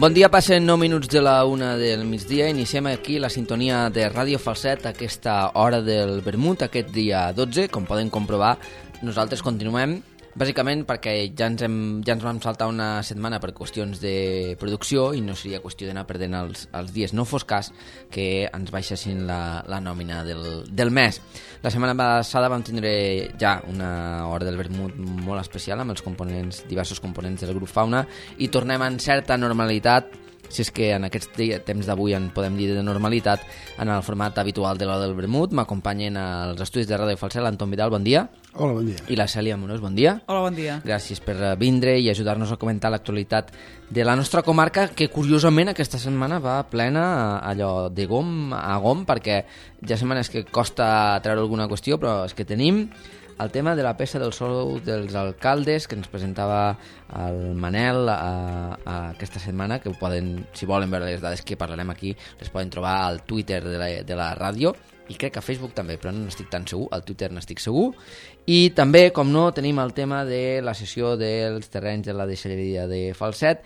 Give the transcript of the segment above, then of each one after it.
Bon dia, passen 9 minuts de la 1 del migdia. Iniciem aquí la sintonia de Ràdio Falset a aquesta hora del vermut, aquest dia 12. Com poden comprovar, nosaltres continuem, bàsicament perquè ja ens vam saltar una setmana per qüestions de producció i no seria qüestió d'anar perdent els dies. No fos cas que ens baixessin la nòmina del mes. La setmana passada vam tindre ja una hora del vermut molt especial amb els diversos components del grup Fauna i tornem en certa normalitat, si és que en aquest temps d'avui en podem dir de normalitat, en el format habitual de l'hora del vermut. M'acompanyen als estudis de Ràdio Falset l'Anton Vidal, bon dia. Hola, bon dia. I la Cèlia Amorós, bon dia. Hola, bon dia. Gràcies per vindre i ajudar-nos a comentar l'actualitat de la nostra comarca, que curiosament aquesta setmana va plena allò de gom a gom, perquè ja setmanes que costa treure alguna qüestió, però és que tenim el tema de la peça del sou dels alcaldes que ens presentava el Manel aquesta setmana, que poden, si volen veure les dades que parlarem aquí, les poden trobar al Twitter de la ràdio, i crec que a Facebook també, però no n'estic tan segur, al Twitter n'estic segur. I també, com no, tenim el tema de la cessió dels terrenys de la deixalleria de Falset,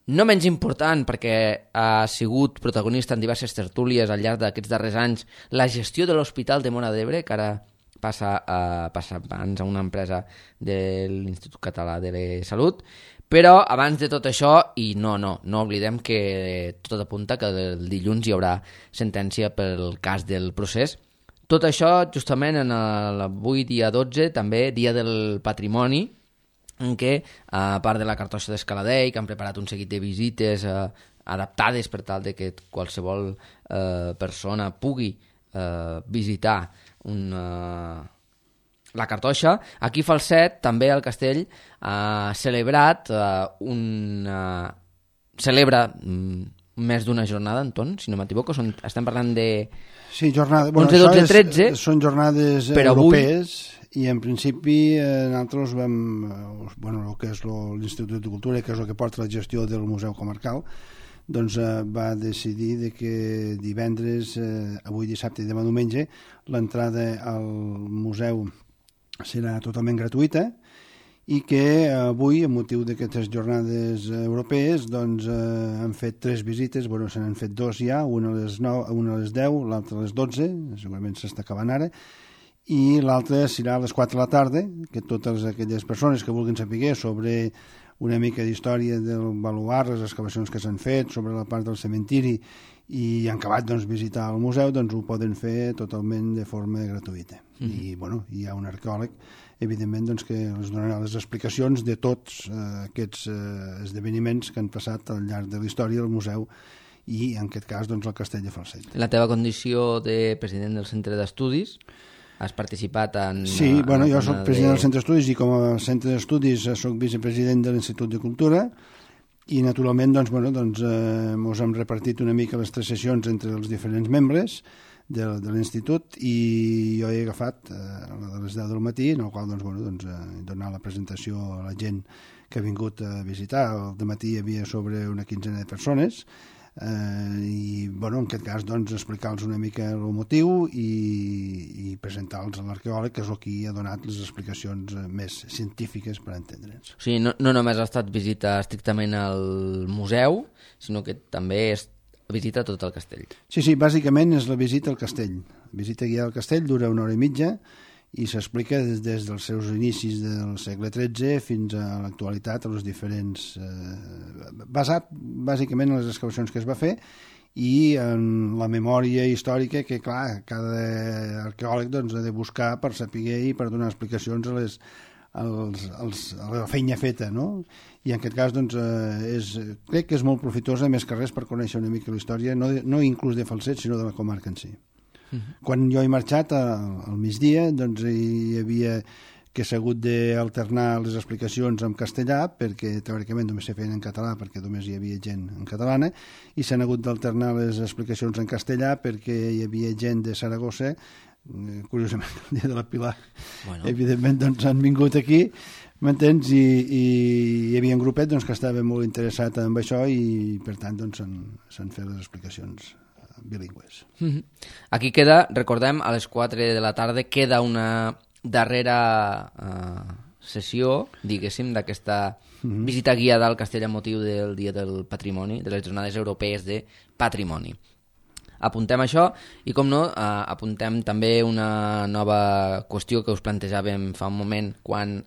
no menys important perquè ha sigut protagonista en diverses tertúlies al llarg d'aquests darrers anys la gestió de l'Hospital de Móra d'Ebre, que ara passa abans a una empresa de l'Institut Català de la Salut. Però abans de tot això, i no oblidem que tot apunta que el dilluns hi haurà sentència pel cas del procés. Tot això justament en avui dia 12, també dia del patrimoni, en què, a part de la cartoixa d'Escaladei, que han preparat un seguit de visites adaptades per tal de que qualsevol persona pugui visitar la cartoixa, aquí Falset, també el castell, ha celebrat celebra més d'una jornada, Anton, si no m'equivoco. Estem parlant de... Sí, jornada... 11, 12, 13. Són jornades europees i en principi nosaltres vam... el que és l'Institut de Cultura, que és el que porta la gestió del Museu Comarcal, doncs va decidir de que divendres, avui dissabte i demà diumenge, l'entrada al museu serà totalment gratuïta i que avui, amb motiu d'aquestes jornades europees, doncs han fet 3 visites, se n'han fet 2 ja, una a les 9, una a les 10, l'altra a les 12, segurament s'està acabant ara, i l'altra serà a les 4 de la tarda, que totes aquelles persones que vulguin saber sobre una mica d'història del baluart, les excavacions que s'han fet, sobre la part del cementiri, i han acabat visitar el museu, doncs ho poden fer totalment de forma gratuïta. I hi ha un arqueòleg, evidentment, que els donarà les explicacions de tots aquests esdeveniments que han passat al llarg de la història del museu i, en aquest cas, el castell de Falset. La teva condició de president del centre d'estudis, has participat en... Sí, jo soc president del centre d'estudis i com a centre d'estudis soc vicepresident de l'Institut de Cultura i naturalment ens hem repartit una mica les 3 sessions entre els diferents membres de l'institut i jo he agafat la de les 10 del matí, en el qual he donat la presentació a la gent que ha vingut a visitar. Al matí hi havia sobre una quinzena de persones i en aquest cas explicar-los una mica el motiu i presentar-los a l'arqueòleg, que és el que ha donat les explicacions més científiques per entendre'ns. O sigui, no només ha estat visita estrictament al museu, sinó que també és visita tot el castell. Sí, bàsicament és la visita al castell. La visita guiada al castell dura 1 hora i mitja i s'explica des dels seus inicis del segle XIII fins a l'actualitat, a les diferents... basat bàsicament en les excavacions que es va fer i en la memòria històrica que, clar, cada arqueòleg ha de buscar per saber i per donar explicacions a la feina feta, no? I en aquest cas crec que és molt profitosa, més que res, per conèixer una mica la història, no inclús de Falset, sinó de la comarca en si. Quan jo he marxat al migdia, hi havia que s'ha hagut d'alternar les explicacions en castellà, perquè teòricament només se feien en català, perquè només hi havia gent en catalana, i s'han hagut d'alternar les explicacions en castellà perquè hi havia gent de Saragossa, curiosament el dia de la Pilar, evidentment han vingut aquí, m'entens? I hi havia un grupet que estava molt interessat en això i per tant s'han fet les explicacions bilingües. Aquí queda, recordem, a les 4 de la tarda queda una darrera sessió, diguéssim, d'aquesta visita guiada al castell amb motiu del Dia del Patrimoni, de les Jornades Europees de Patrimoni. Apuntem això i, com no, apuntem també una nova qüestió que us plantejàvem fa un moment quan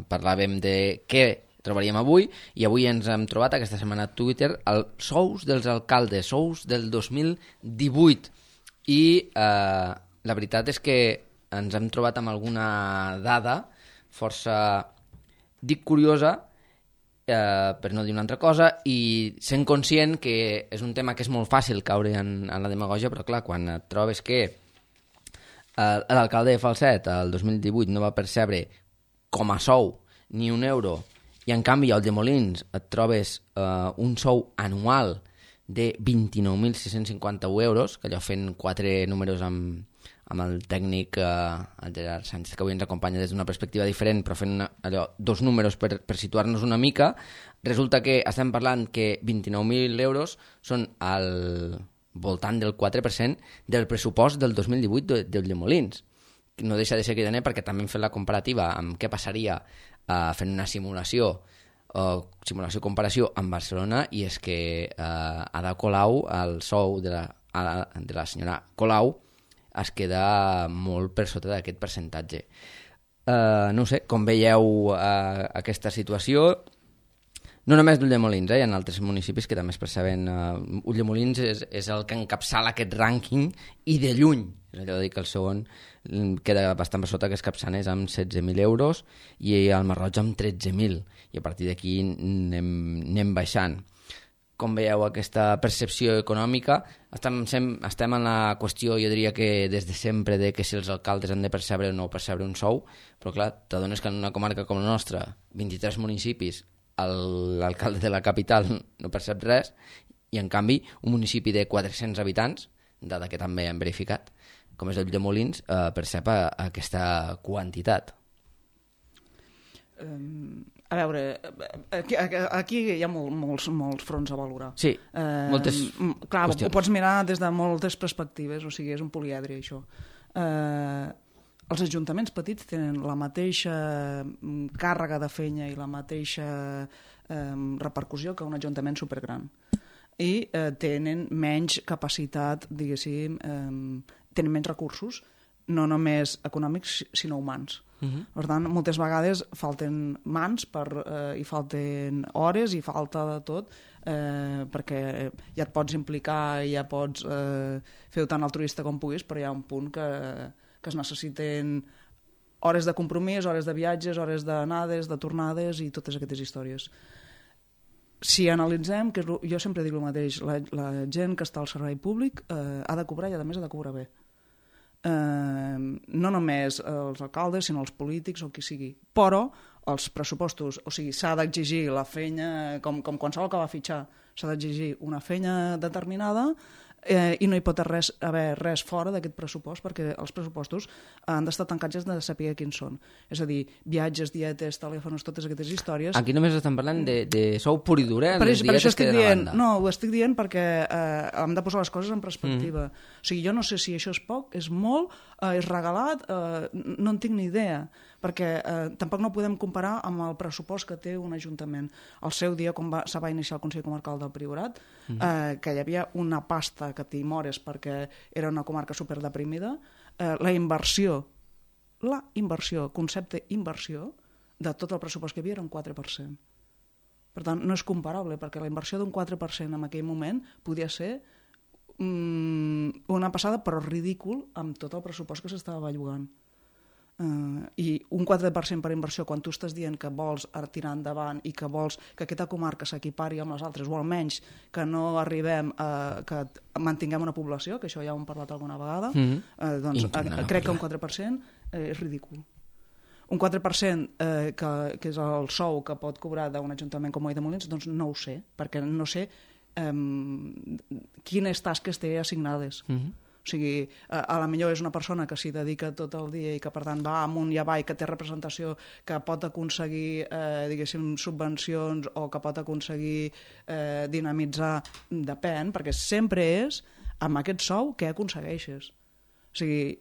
parlàvem de què trobaríem avui, i avui ens hem trobat aquesta setmana a Twitter els sous dels alcaldes, sous del 2018, i la veritat és que ens hem trobat amb alguna dada força, dic curiosa, per no dir una altra cosa, i sent conscient que és un tema que és molt fàcil caure en la demagògia, però clar, quan et trobes que l'alcalde de Falset el 2018 no va percebre com a sou ni un euro, i en canvi al de Molins et trobes un sou anual de 29.651 euros, que allò fent 4 números amb el tècnic, el Gerard Sánchez, que avui ens acompanya des d'una perspectiva diferent, però fent allò 2 números per situar-nos una mica, resulta que estem parlant que 29.000 euros són al voltant del 4% del pressupost del 2018 del de Molins. No deixa de ser cridaner perquè també hem fet la comparativa amb què passaria fent una simulació-comparació amb Barcelona, i és que Ada Colau, el sou de la senyora Colau, es queda molt per sota d'aquest percentatge. No ho sé, com veieu aquesta situació, no només d'Ulldemolins, hi ha altres municipis que també es perceben. Ulldemolins és el que encapçala aquest rànquing, i de lluny. És allò de dir que el segon queda bastant per sota, que és Capçanes amb 16.000 euros i el Masroig amb 13.000, i a partir d'aquí anem baixant. Com veieu aquesta percepció econòmica? Estem en la qüestió, jo diria que des de sempre, de que si els alcaldes han de percebre o no percebre un sou, però clar, t'adones que en una comarca com la nostra, 23 municipis, l'alcalde de la capital no percep res, i en canvi un municipi de 400 habitants, dada que també hem verificat, com és el de Molins, percep aquesta quantitat. A veure, aquí hi ha molts fronts a valorar. Sí, moltes clar, qüestions. Ho pots mirar des de moltes perspectives, o sigui, és un poliedre, això. Els ajuntaments petits tenen la mateixa càrrega de feina i la mateixa repercussió que un ajuntament supergran. I tenen menys capacitat, diguéssim, tenen menys recursos, no només econòmics, sinó humans. Per tant, moltes vegades falten mans i falten hores i falta de tot, perquè ja et pots implicar i ja pots fer-ho tan altruista com puguis, però hi ha un punt que es necessiten hores de compromís, hores de viatges, hores d'anades, de tornades i totes aquestes històries. Si analitzem, que jo sempre dic el mateix, la gent que està al servei públic ha de cobrar, i a més ha de cobrar bé. No només els alcaldes, sinó els polítics o qui sigui. Però els pressupostos, o sigui, s'ha d'exigir la feina, com qualsevol que va fitxar, s'ha d'exigir una feina determinada, i no hi pot haver res fora d'aquest pressupost, perquè els pressupostos han d'estar tancats de saber quins són. És a dir, viatges, dietes, telèfons, totes aquestes històries. Aquí només estem parlant de sou pur i dur, per això estic dient, no, ho estic dient perquè hem de posar les coses en perspectiva. O sigui, jo no sé si això és poc, és molt, és regalat, no en tinc ni idea, perquè tampoc no podem comparar amb el pressupost que té un ajuntament. Al seu dia, quan se va iniciar el Consell Comarcal del Priorat, que hi havia una pasta que t'hi mores perquè era una comarca superdeprimida, la inversió, concepte inversió, de tot el pressupost que hi havia era un 4%. Per tant, no és comparable, perquè la inversió d'un 4% en aquell moment podia ser una passada, però ridícul, amb tot el pressupost que s'estava bellugant. I un 4% per inversió, quan tu estàs dient que vols tirar endavant i que vols que aquesta comarca s'equipari amb les altres, o almenys que no arribem que mantinguem una població, que això ja ho hem parlat alguna vegada, doncs crec que un 4% és ridícul. Un 4% que és el sou que pot cobrar d'un ajuntament com Ulldemolins, doncs no ho sé, perquè no sé quines tasques té assignades. O sigui, a la millor és una persona que s'hi dedica tot el dia i que per tant va amunt i avall, que té representació, que pot aconseguir diguéssim subvencions o que pot aconseguir dinamitzar, depèn, perquè sempre és amb aquest sou què aconsegueixes. O sigui,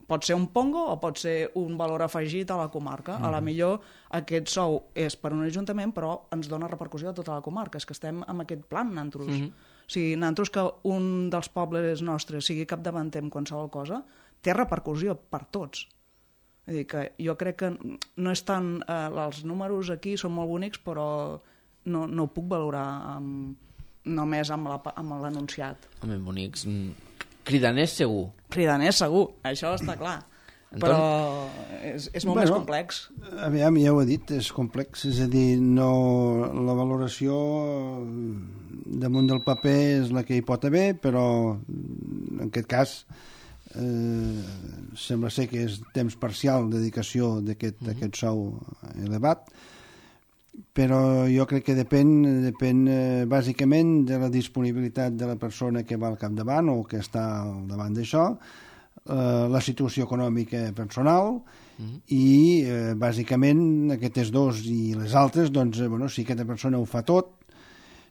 pot ser un pongo o pot ser un valor afegit a la comarca. A la millor aquest sou és per un ajuntament, però ens dona repercussió a tota la comarca. És que estem en aquest plan, nosaltres. O sigui, nosaltres que un dels pobles nostres sigui capdavanter en qualsevol cosa, té repercussió per tots. És dir, que jo crec que no és tant... els números aquí són molt bonics, però no ho puc valorar només amb l'anunciat. Home, bonics... Cridaners segur. Cridaners segur, això està clar. Però és molt més complex. Aviam, ja ho he dit, és complex. És a dir, la valoració damunt del paper és la que hi pot haver, però en aquest cas sembla ser que és temps parcial dedicació d'aquest sou elevat, però jo crec que depèn bàsicament de la disponibilitat de la persona que va al capdavant o que està al davant d'això, la situació econòmica personal i bàsicament aquestes dos i les altres, doncs, si aquesta persona ho fa tot,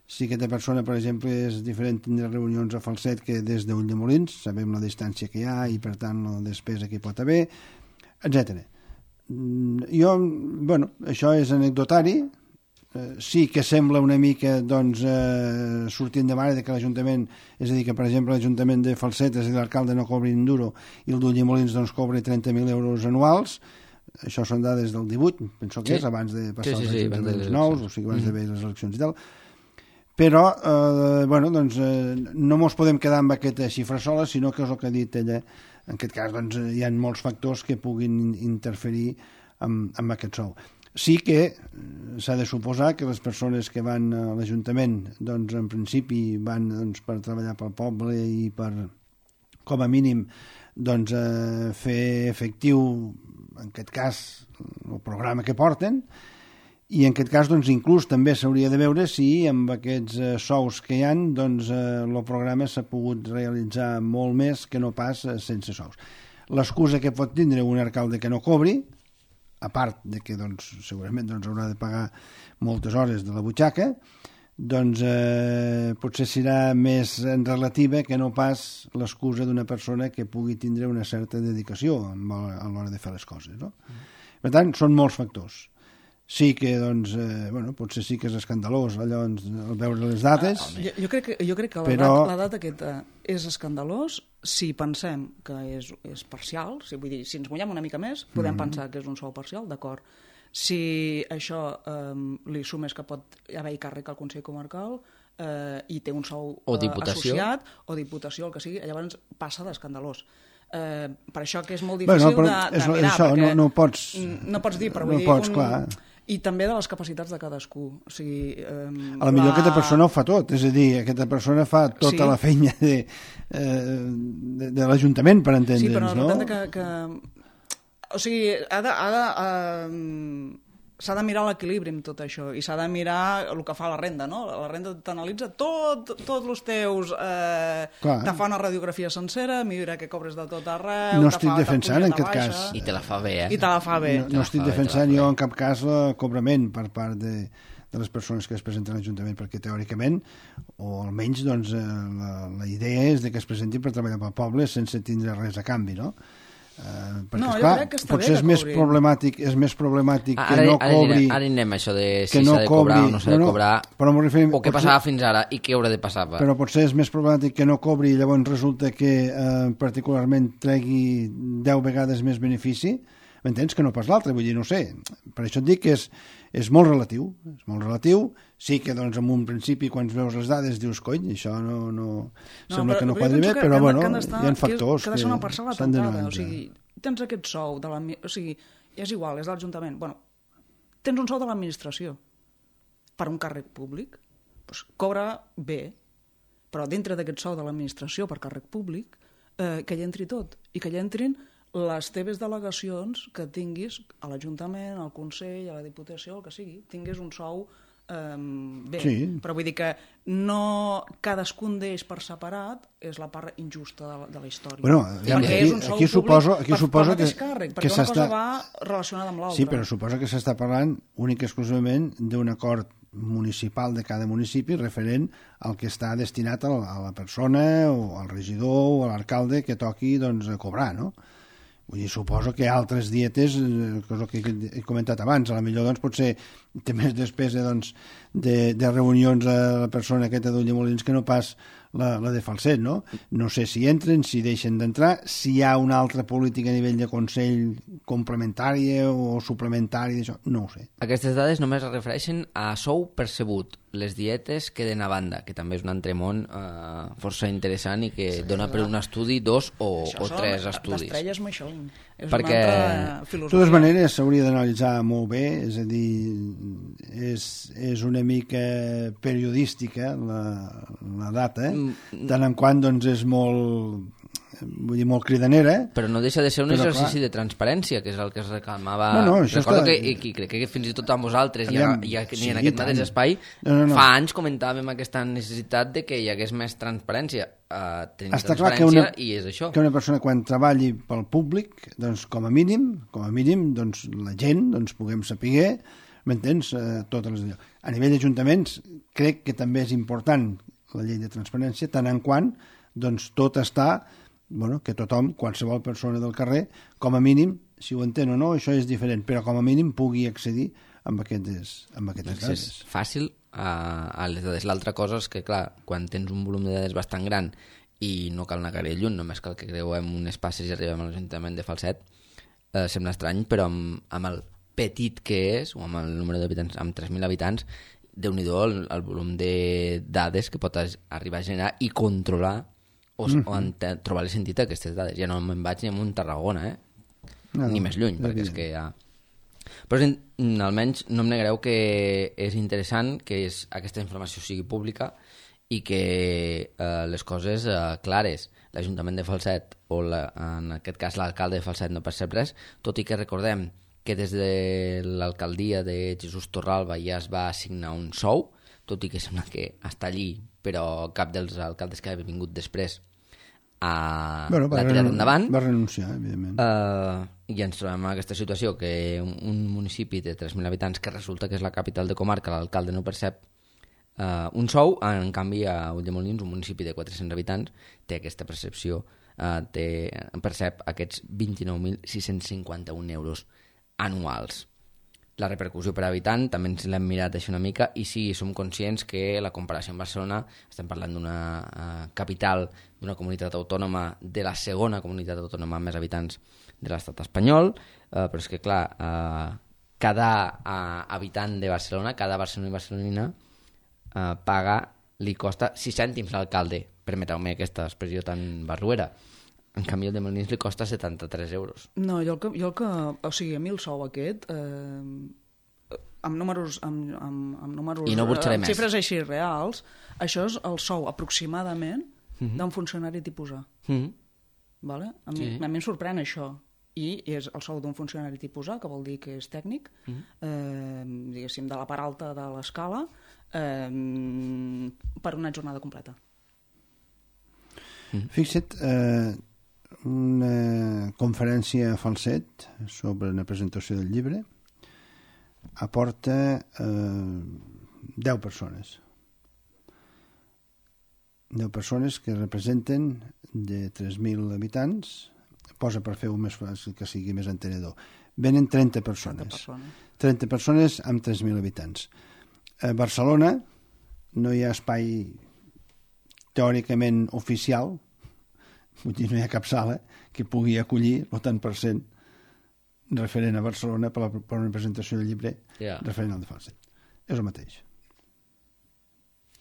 si aquesta persona, per exemple, és diferent de reunions a Falset que des d'Ulldemolins, sabem la distància que hi ha i, per tant, la despesa que hi pot haver, etc. Això és anecdotari, sí que sembla una mica sortint de mare que l'Ajuntament, és a dir, que per exemple l'Ajuntament de Falset, és a dir, l'alcalde no cobri un duro i el d'Ulldemolins cobri 30.000 euros anuals. Això són dades del 18, penso que és, abans de passar els ajuntaments nous, o sigui, abans d'haver les eleccions i tal. Però, no ens podem quedar amb aquesta xifra sola, sinó que és el que ha dit ella. En aquest cas, hi ha molts factors que puguin interferir amb aquest sou. Sí que s'ha de suposar que les persones que van a l'Ajuntament, en principi van per treballar pel poble i per, com a mínim, fer efectiu, en aquest cas, el programa que porten, i en aquest cas inclús també s'hauria de veure si amb aquests sous que hi ha el programa s'ha pogut realitzar molt més que no pas sense sous. L'excusa que pot tindre un alcalde que no cobri, a part de que segurament haurà de pagar moltes hores de la butxaca, potser serà més relativa que no pas l'excusa d'una persona que pugui tindre una certa dedicació a l'hora de fer les coses, no? Per tant, són molts factors. Sí que, potser sí que és escandalós allò, al veure les dates. Jo crec que la data aquesta és escandalós si pensem que és parcial, vull dir, si ens mullem una mica més, podem pensar que és un sou parcial, d'acord. Si això li sumes que pot haver-hi càrrec al Consell Comarcal i té un sou associat, o diputació, el que sigui, llavors passa d'escandalós. Per això que és molt difícil de mirar, perquè no pots dir, però vull dir... clar. I també de les capacitats de cadascú. O sigui, a la millor aquesta persona ho fa tot, és a dir, aquesta persona fa tota la feina de l'Ajuntament, per entendre'ns, sí, però no? O sigui, s'ha de mirar l'equilibri amb tot això i s'ha de mirar el que fa la renda, no? La renda t'analitza tots els teus... te fa una radiografia sencera, mira que cobres de tot arreu... No estic defensant en aquest cas. I te la fa bé, I te la fa bé. No estic defensant jo en cap cas el cobrament per part de les persones que es presenten a l'Ajuntament, perquè teòricament, o almenys la idea és que es presentin per treballar pel poble sense tindre res a canvi, no? Perquè, esclar, potser és més problemàtic que no cobri... Ara anem a això de si s'ha de cobrar o no s'ha de cobrar, o què passava fins ara i què haurà de passar. Però potser és més problemàtic que no cobri i llavors resulta que particularment tregui 10 vegades més benefici, m'entens, que no pas l'altre, vull dir, no sé. Per això et dic que és molt relatiu, sí que en un principi quan veus les dades dius, cony, això no sembla que no quadri bé, però bueno, hi ha factors que s'han d'anar. O sigui, tens aquest sou, o sigui, és igual, és de l'Ajuntament, bueno, tens un sou de l'administració per un càrrec públic, doncs cobra bé, però dintre d'aquest sou de l'administració per càrrec públic, que hi entri tot, i que hi entrin les teves delegacions que tinguis a l'Ajuntament, al Consell, a la Diputació, el que sigui, tinguis un sou bé. Sí. Però vull dir que no cadascun d'ells per separat és la part injusta de la història. Bueno, perquè és un sou públic per mateix càrrec, perquè una cosa va relacionada amb l'altra. Sí, però suposa que s'està parlant únic i exclusivament d'un acord municipal de cada municipi referent al que està destinat a la persona o al regidor o a l'alcalde que toqui cobrar, no? Vull dir, suposo que altres dietes, cosa que he comentat abans, a la millor doncs, potser té més despesa doncs, de reunions a la persona aquesta d'Ulldemolins que no pas la de Falset, no? No sé si entren, si deixen d'entrar, si hi ha una altra política a nivell de Consell complementària o suplementària, això, no ho sé. Aquestes dades només es refereixen a sou percebut. Les dietes queden a banda, que també és un entremón força interessant i que dona per un estudi, 2 o 3 estudis. D'estrelles amb això. És perquè, una altra filosofia. De totes maneres, s'hauria d'analitzar molt bé, és a dir, és una mica periodística la data, tant en quant doncs, és molt... vull dir, molt cridanera. Però no deixa de ser un exercici de transparència, que és el que es reclamava. Recordo que crec que fins i tot amb vosaltres, ni en aquest mateix espai, fa anys comentàvem aquesta necessitat de que hi hagués més transparència. Tenim transparència i és això. Que una persona quan treballi pel públic, doncs, com a mínim doncs, la gent doncs, puguem saber, m'entens, totes les... A nivell d'ajuntaments, crec que també és important la llei de transparència, tant en quant doncs, tot està... Bueno, que tothom, qualsevol persona del carrer, com a mínim, si ho entén o no, això és diferent, però com a mínim pugui accedir amb aquestes dades. Fàcil a les dades. L'altra cosa és que, clar, quan tens un volum de dades bastant gran i no cal anar gaire lluny, només cal que creuem unes passes i arribem a l'Ajuntament de Falset, sembla estrany, però amb el petit que és, o amb el número d'habitants, amb 3.000 habitants, déu-n'hi-do el volum de dades que pot arribar a generar i controlar o trobar-li sentit a aquestes dades. Ja no me'n vaig ni a un Tarragona, ni més lluny, perquè és que ja... Però almenys no em negareu que és interessant que aquesta informació sigui pública i que les coses clares. L'Ajuntament de Falset, o en aquest cas l'alcalde de Falset, no percep res, tot i que recordem que des de l'alcaldia de Jesús Torralba ja es va assignar un sou, tot i que sembla que està allí, però cap dels alcaldes que ha vingut després l'ha tirat endavant. Va renunciar, evidentment. I ens trobem en aquesta situació que un municipi de 3.000 habitants, que resulta que és la capital de comarca, l'alcalde no percep un sou, en canvi a Ulldemolins, un municipi de 400 habitants, té aquesta percepció, percep aquests 29.651 euros anuals. La repercussió per habitant també ens l'hem mirat així una mica i sí, som conscients que la comparació amb Barcelona, estem parlant d'una capital, d'una comunitat autònoma, de la segona comunitat autònoma amb més habitants de l'estat espanyol, però és que clar, cada habitant de Barcelona, cada barceloní i barcelonina li costa 6 cèntims l'alcalde, permeteu-me aquesta expressió tan barruera. En canvi, el de Molins li costa 73 euros. No, o sigui, a mi el sou aquest, amb números, I no burxaré més. Xifres així reals, això és el sou aproximadament d'un funcionari tipus A. Vale? A mi em sorprèn això. I és el sou d'un funcionari tipus A, que vol dir que és tècnic, diguéssim, de la part alta de l'escala, per una jornada completa. Fixa't, una conferència a Falset sobre una presentació del llibre aporta 10 persones. 10 persones que representen de 3.000 habitants, posa per fer-ho més fàcil, que sigui més entenedor. Venen 30 persones. 30 persones amb 3.000 habitants. A Barcelona no hi ha espai teòricament oficial, vull dir, no hi ha cap sala que pugui acollir el tant per cent referent a Barcelona per una presentació del llibre referent al de Falset. És el mateix.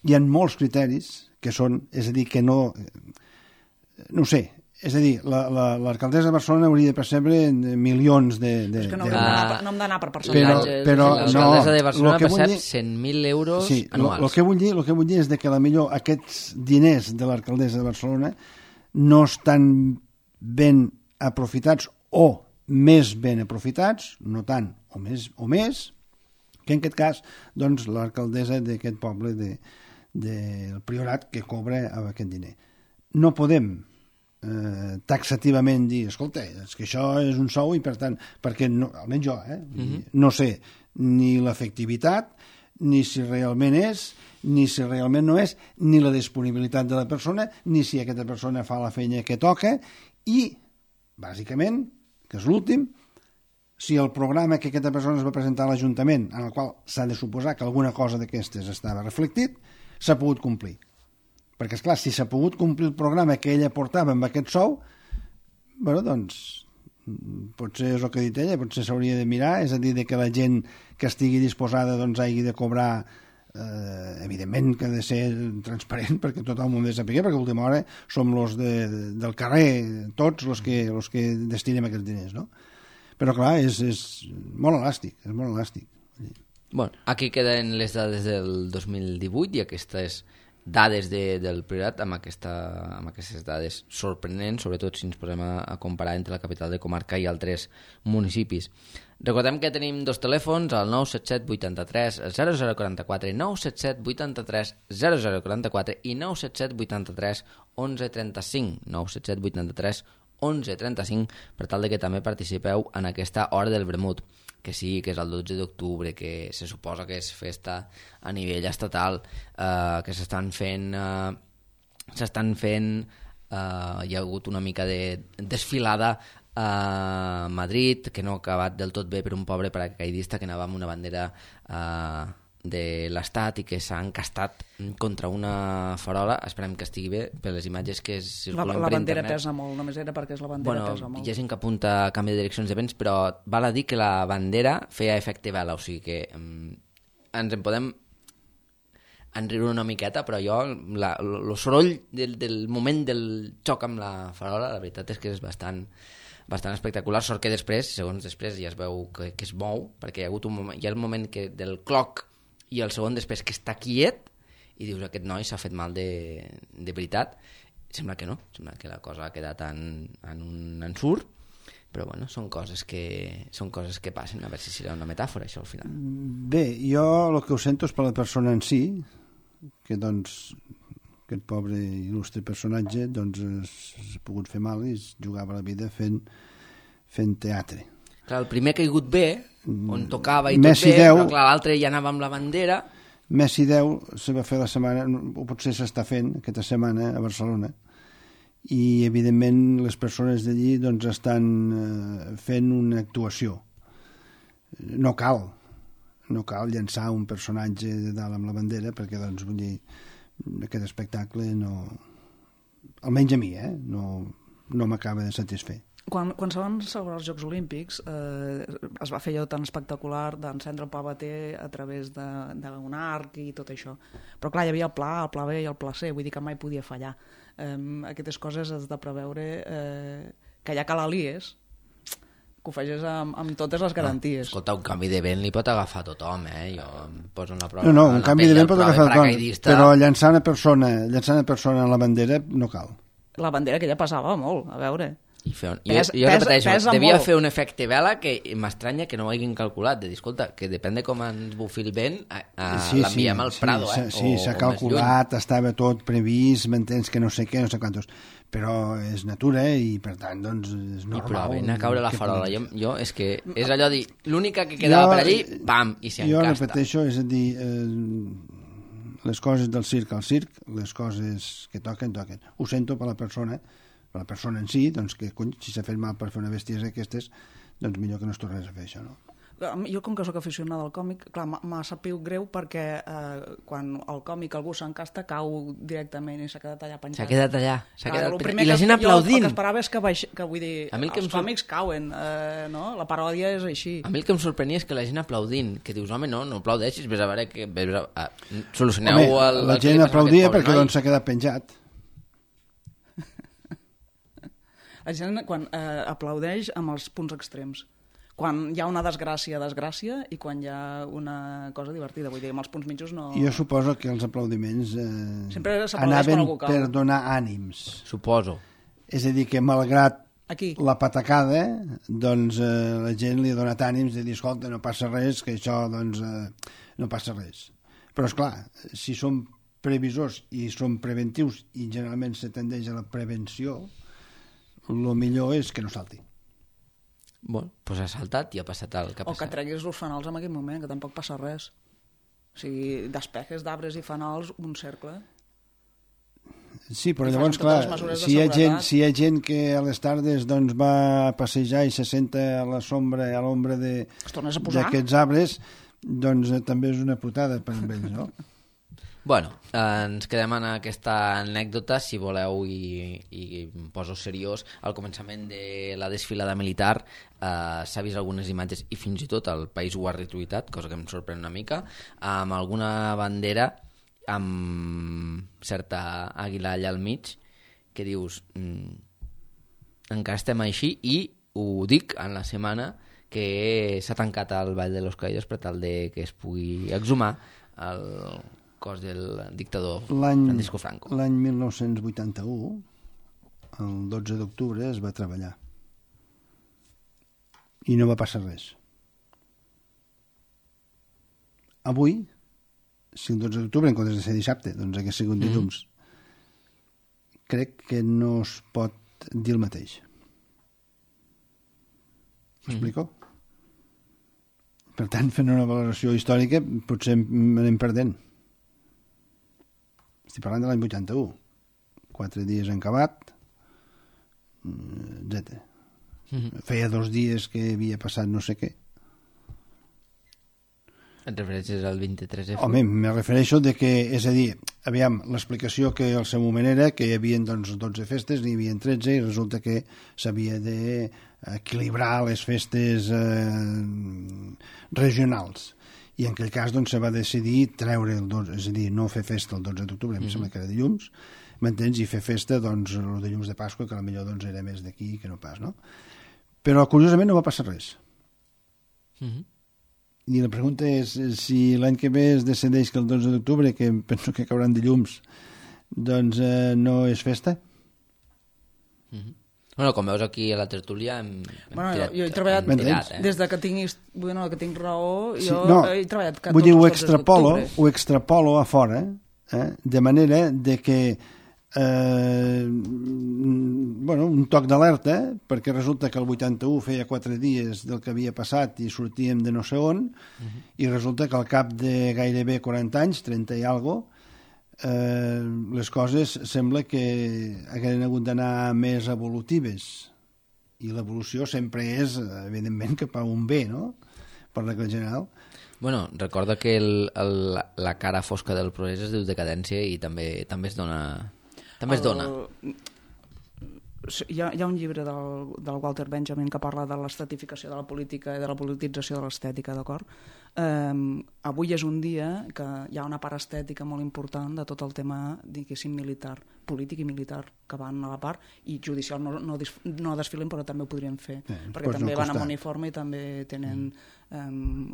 Hi ha molts criteris que són, és a dir, que no ho sé, és a dir, l'alcaldessa de Barcelona hauria de percebre milions de... És que no hem d'anar per percentatges. Però l'alcaldessa de Barcelona percep 100.000 euros anuals. El que vull dir és que potser aquests diners de l'alcaldessa de Barcelona no estan ben aprofitats o més ben aprofitats, no tant o més, que en aquest cas doncs, l'alcaldessa d'aquest poble del Priorat que cobra aquest diner. No podem taxativament dir, escolta, és que això és un sou i per tant, perquè no, almenys jo, no sé ni l'efectivitat, ni si realment és, ni si realment no és, ni la disponibilitat de la persona, ni si aquesta persona fa la feina que toca i, bàsicament, que és l'últim, si el programa que aquesta persona es va presentar a l'Ajuntament, en el qual s'ha de suposar que alguna cosa d'aquestes estava reflectit, s'ha pogut complir. Perquè, esclar, si s'ha pogut complir el programa que ella portava amb aquest sou, bueno, doncs, potser és el que ha dit ella, potser s'hauria de mirar, és a dir, que la gent que estigui disposada doncs hagi de cobrar, evidentment que ha de ser transparent perquè tot el món ha de saber, perquè a última hora som los del carrer, tots los que destinem aquests diners, no? Però clar, és molt elàstic, és molt elàstic. Bueno, aquí queden les dades del 2018 i aquestes dades del Priorat amb aquestes dades sorprenents, sobretot si ens posem a comparar entre la capital de comarca i altres municipis. Recordem que tenim dos telèfons, el 977 83 0044, 977 83 0044 i 977 83 1135, 977 83 1135, per tal de que també participeu en aquesta Hora del Vermut, que sí, que és el 12 d'octubre, que se suposa que és festa a nivell estatal, que s'estan fent, hi ha hagut una mica de desfilada a Madrid, que no ha acabat del tot bé per un pobre paracaidista que anava amb una bandera de l'Estat i que s'ha encastat contra una farola. Esperem que estigui bé per les imatges que circulen per internet. La bandera pesa molt, només era perquè és la bandera pesa molt. Hi ha gent que apunta a canvi de direccions de vents, però val a dir que la bandera feia efecte vela, o sigui que ens en podem enriure una miqueta, però jo el soroll del moment del xoc amb la farola, la veritat és que és bastant espectacular. Sort que després, segons després, ja es veu que es mou, perquè hi ha hagut un moment, hi ha el moment del cloc i el segon després que està quiet i dius, aquest noi s'ha fet mal de veritat. Sembla que no, sembla que la cosa ha quedat en un ensurt, però bueno, són coses que passen, a veure si serà una metàfora això al final. Bé, jo el que ho sento és per la persona en si, que doncs aquest pobre il·lustre personatge doncs s'ha pogut fer mal i es jugava la vida fent teatre. Clar, el primer ha caigut bé, on tocava i tot bé, però clar, l'altre ja anava amb la bandera. Messi 10 se va fer la setmana, o potser s'està fent aquesta setmana a Barcelona, i evidentment les persones d'allí doncs estan fent una actuació. No cal llançar un personatge de dalt amb la bandera, perquè doncs vull dir, aquest espectacle no, almenys a mi, no m'acaba de satisfer. Quan se van celebrar els Jocs Olímpics es va fer allò tan espectacular d'encendre el pavater a través d'un arc i tot això, però clar, hi havia el pla A, el pla B i el pla C, vull dir que mai podia fallar. Aquestes coses has de preveure que ja calalies que ho facis amb totes les garanties. Escolta, un canvi de vent li pot agafar a tothom, jo em poso en la prova. No, un canvi de vent pot agafar a tothom, però llançar una persona en la bandera no cal. La bandera que ja passava molt, a veure. Jo repeteixo, devia fer un efecte vela que m'estranya que no ho hagin calculat, de dir, escolta, que depèn de com ens bufi el vent, l'enviem al Prado. Sí, s'ha calculat, estava tot previst, m'entens que no sé què, no sé quantos, però és natura i per tant doncs és normal. Però ven a caure la farola, jo és que és allò de dir, l'única que quedava per allí, pam, i s'hi encasta. Jo repeteixo, és a dir, les coses del circ al circ, les coses que toquen. Ho sento per la persona en si, doncs que si s'ha fet mal per fer una bestiesa d'aquestes, doncs millor que no es tornés a fer això, no? Jo, com que sóc aficionada al còmic, clar, m'ha sabut greu perquè quan el còmic algú s'encasta cau directament i s'ha quedat allà penjat. S'ha quedat allà. I la gent aplaudint. El que esperava és que vull dir, els còmics cauen, no? La paròdia és així. A mi el que em sorprenia és que la gent aplaudint, que dius, home, no aplaudeixis, vés a veure que solucioneu el... La gent aplaudia perquè doncs s'ha quedat penjat. La gent quan aplaudeix amb els punts extrems. Quan hi ha una desgràcia i quan hi ha una cosa divertida. Vull dir, amb els punts mitjos no... Jo suposo que els aplaudiments anaven per donar ànims. Suposo. És a dir, que malgrat aquí la patacada, doncs la gent li ha donat ànims de dir, escolta, no passa res, que això doncs no passa res. Però esclar, si som previsors i som preventius i generalment se tendeix a la prevenció, el millor és que no salti. Bueno, doncs ha saltat i ha passat el que ha passat. O que treguis els fanals en aquell moment, que tampoc passa res. O sigui, despejes d'arbres i fanals, un cercle. Sí, però I llavors, facin totes clar, les mesures de si seguretat. hi ha gent que a les tardes doncs, va a passejar i se senta a la sombra, a l'ombra Es tornes a posar. d'aquests arbres, doncs també és una putada per ells, no? Bueno, ens quedem en aquesta anècdota, si voleu, i em poso seriós. Al començament de la desfilada militar s'ha vist algunes imatges, i fins i tot el país ho ha retuitat, cosa que em sorprèn una mica, amb alguna bandera amb certa àguila allà al mig, que dius, encara estem així, i ho dic en la setmana que s'ha tancat el Vall de los Caídos per tal de que es pugui exhumar el cos del dictador Francisco Franco. L'any 1981, el 12 d'octubre, es va treballar. I no va passar res. Avui, si el 12 d'octubre, en comptes de ser dissabte, doncs hagués sigut dilluns, crec que no es pot dir el mateix. M'explico? Per tant, fent una valoració històrica, potser anem perdent. Estic parlant de l'any 81. 4 dies en acabat, etc. Feia 2 dies que havia passat no sé què. Et refereixes al 23F? Home, me refereixo de que, és a dir, aviam, l'explicació que al seu moment era que hi havia doncs, 12 festes, n'hi havia 13, i resulta que s'havia d'equilibrar les festes regionals. I en aquell cas doncs, se va decidir treure el 12, és a dir, no fer festa el 12 d'octubre, em sembla que era dilluns, m'entens? I fer festa doncs, el dilluns de Pasqua, que potser doncs, era més d'aquí que no pas, no? Però, curiosament, no va passar res. I la pregunta és si l'any que ve es decideix que el 12 d'octubre, que penso que cauran dilluns, doncs no és festa? Bueno, com veus aquí a la tertúlia jo he treballat des de que que tinc raó, Sí, jo no, he treballat vull dir, tots els 12 d'octubre. ho extrapolo a fora, de manera de que un toc d'alerta, perquè resulta que el 81 feia 4 dies del que havia passat i sortíem de no sé on, i resulta que al cap de gairebé 40 anys, 30 i algo, les coses sembla que hagueren hagut d'anar més evolutives, i l'evolució sempre és, evidentment, cap a un bé, no?, per regla general. Bueno, recorda que la cara fosca del progrés es diu decadència i també es dona... També es dona. Hi ha un llibre del Walter Benjamin que parla de l'estetificació de la política i de la politització de l'estètica, d'acord? Avui és un dia que hi ha una part estètica molt important de tot el tema, diguéssim, militar, polític i militar, que van a la part, i judicial no desfilen, però també ho podrien fer, perquè també van amb uniforme i també tenen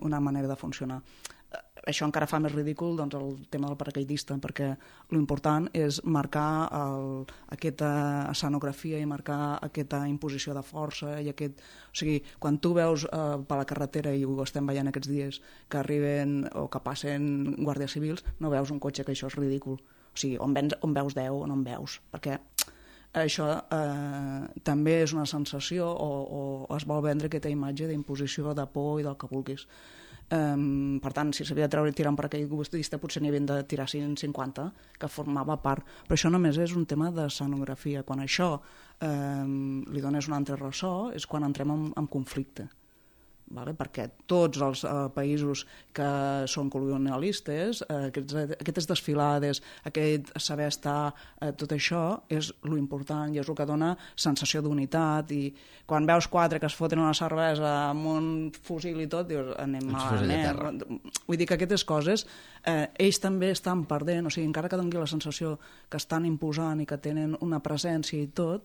una manera de funcionar. Això encara fa més ridícul doncs, el tema del paracaidista, perquè l'important és marcar aquesta escenografia i marcar aquesta imposició de força i aquest... O sigui, quan tu veus per la carretera, i ho estem veient aquests dies, que arriben o que passen guàrdies civils, no veus un cotxe, que això és ridícul. O sigui, on veus 10 o no en veus, perquè això també és una sensació o es vol vendre aquesta imatge d'imposició, de por i del que vulguis. Per tant, si s'havia de tirar un paracaigudista, potser n'hi havien de tirar 150, que formava part. Però això només és un tema d'escenografia. Quan això li dones un altre ressò és quan entrem en conflicte. Perquè tots els països que són colonialistes, aquestes desfilades, aquest saber estar, tot això és l'important i és el que dona sensació d'unitat. I quan veus 4 que es foten una cervesa amb un fusil i tot, dius, anem malament. Vull dir que aquestes coses ells també estan perdent, o sigui, encara que doni la sensació que estan imposant i que tenen una presència i tot,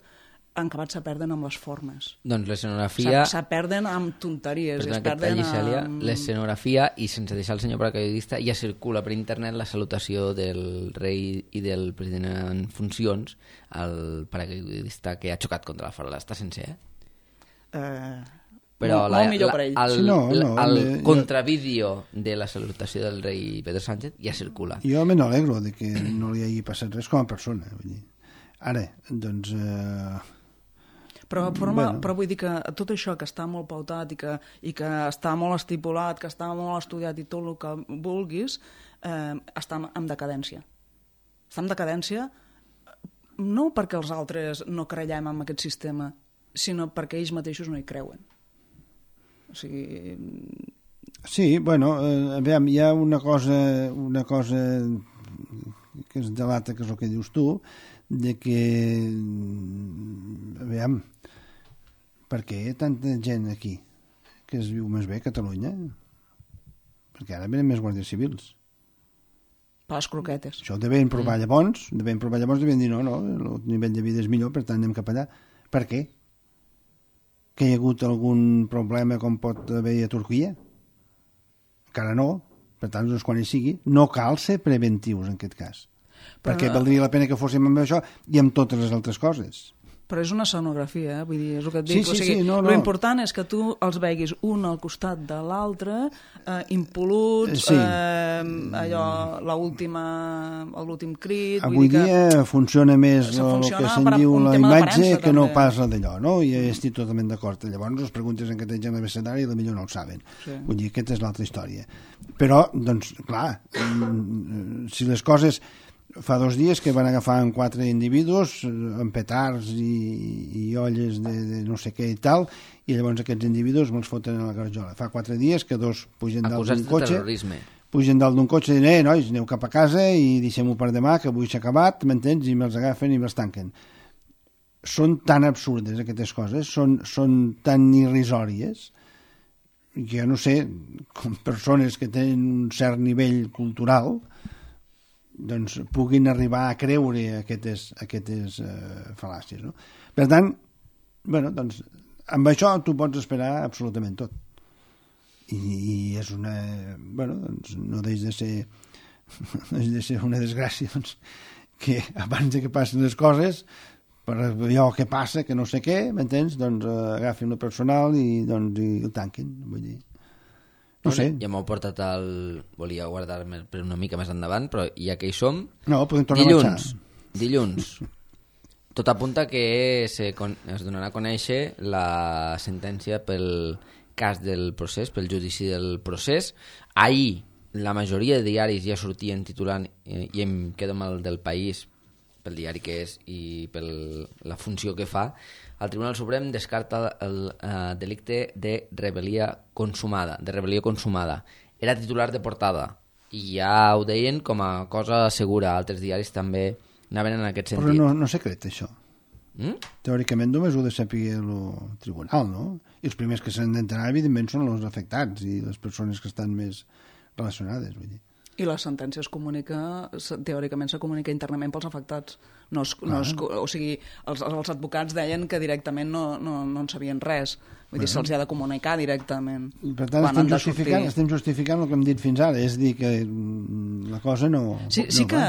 han acabat se perden amb les formes. Doncs l'escenografia... Se perden amb tonteries. Perdona que et talli, Cèlia. L'escenografia, i sense deixar el senyor paracaidista, ja circula per internet la salutació del rei i del president en funcions al paracaidista que ha xocat contra la farola. Està sencer, Però molt millor per ell. El contravídeo de la salutació del rei Pedro Sánchez ja circula. Jo me n'alegro de que no li hagi passat res com a persona. Vull dir. Ara, doncs... Però vull dir que tot això que està molt pautat i que està molt estipulat, que està molt estudiat i tot el que vulguis, està en decadència. Està en decadència no perquè els altres no creiem en aquest sistema, sinó perquè ells mateixos no hi creuen. O sigui... Sí, bueno, aviam, hi ha una cosa que es delata, que és el que dius tu, de que, aviam, per què hi ha tanta gent aquí que es viu més bé a Catalunya? Perquè ara venen més guàrdies civils. Per les croquetes. Això ho devien provar llavors, devien dir no, el nivell de vida és millor, per tant anem cap allà. Per què? Que hi ha hagut algun problema com pot haver a Turquia? Encara no, per tant, doncs, quan hi sigui, no cal ser preventius en aquest cas. Perquè valdria la pena que fóssim amb això i amb totes les altres coses. Però és una escenografia, vull dir, és el que et dic. Sí, o sigui, no. Lo important és que tu els veguis un al costat de l'altre, impol·luts, sí. l'últim crit... Avui dia funciona més el que se'n diu la imatge que no pas la d'allò, no? I estic totalment d'acord. Llavors, les preguntes en què tenen l'abecedari potser no ho saben. Sí. Vull dir, aquesta és l'altra història. Però, doncs, clar, si les coses... Fa 2 dies que van agafar 4 individus amb petards i olles de no sé què i tal, i llavors aquests individus me'ls foten a la garjola. Fa 4 dies que 2 pugen dalt d'un cotxe, i diuen, nois, aneu cap a casa i deixem-ho per demà, que avui s'ha acabat, m'entens? I me'ls agafen i me'ls tanquen. Són tan absurdes aquestes coses, són tan irrisòries, que jo no sé, com persones que tenen un cert nivell cultural, doncs puguin arribar a creure aquestes fal·làcies, no? Per tant, bueno, doncs, amb això tu pots esperar absolutament tot. I és una... Bueno, doncs no deix de ser una desgràcia, doncs, que abans de que passin les coses, per allò que passa, que no sé què, m'entens? Doncs agafin el personal i el tanquin, vull dir. No sé. Ja m'ho portat volia guardar-me per una mica més endavant, però ja que hi som... No, podem tornar a marxar. Dilluns. Tot apunta que es donarà a conèixer la sentència pel cas del procés, pel judici del procés. Ahir la majoria de diaris ja sortien titulant, i em quedo amb el del País, pel diari que és i per la funció que fa. El Tribunal Suprem descarta el delicte de rebel·lia consumada. Era titular de portada i ja ho deien com a cosa segura. Altres diaris també anaven en aquest sentit. Però no secret, això. Teòricament només ho ha de saber el tribunal, no? I els primers que s'han d'enterar, evidentment, són els afectats i les persones que estan més relacionades, vull dir. I la sentència teòricament se comunica internament pels afectats. O sigui, els advocats deien que directament no en sabien res. Vull dir, se'ls ha de comunicar directament. Per tant, estem justificant el que hem dit fins ara, és dir que la cosa no... Sí que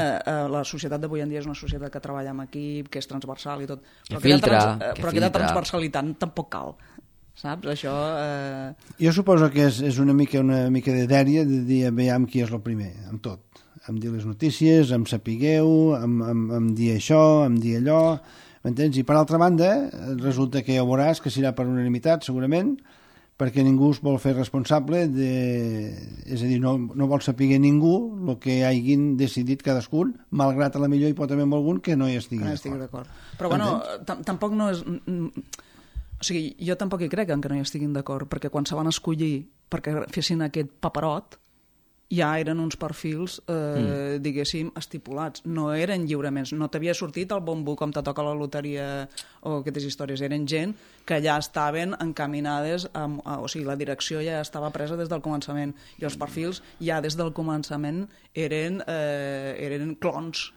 la societat d'avui en dia és una societat que treballa en equip, que és transversal i tot, però aquesta transversalitat tampoc cal. Saps? Això... Jo suposo que és una mica de dèria de dir, veiem qui és el primer, amb tot. Amb dir les notícies, amb sapigueu, amb dir això, amb dir allò, m'entens? I per altra banda, resulta que ja veuràs que serà per unanimitat, segurament, perquè ningú es vol fer responsable és a dir, no vol saber ningú el que hagin decidit cadascun, malgrat a la millor hi pot haver algun que no hi estigui d'acord. Però bueno, tampoc no és... O sigui, jo tampoc hi crec que no hi estiguin d'acord, perquè quan se van escollir perquè fessin aquest paperot, ja eren uns perfils, diguéssim, estipulats. No eren lliuraments. No t'havia sortit el bombo com te toca la loteria o aquestes històries. Eren gent que ja estaven encaminades, o sigui, la direcció ja estava presa des del començament. I els perfils ja des del començament eren clons.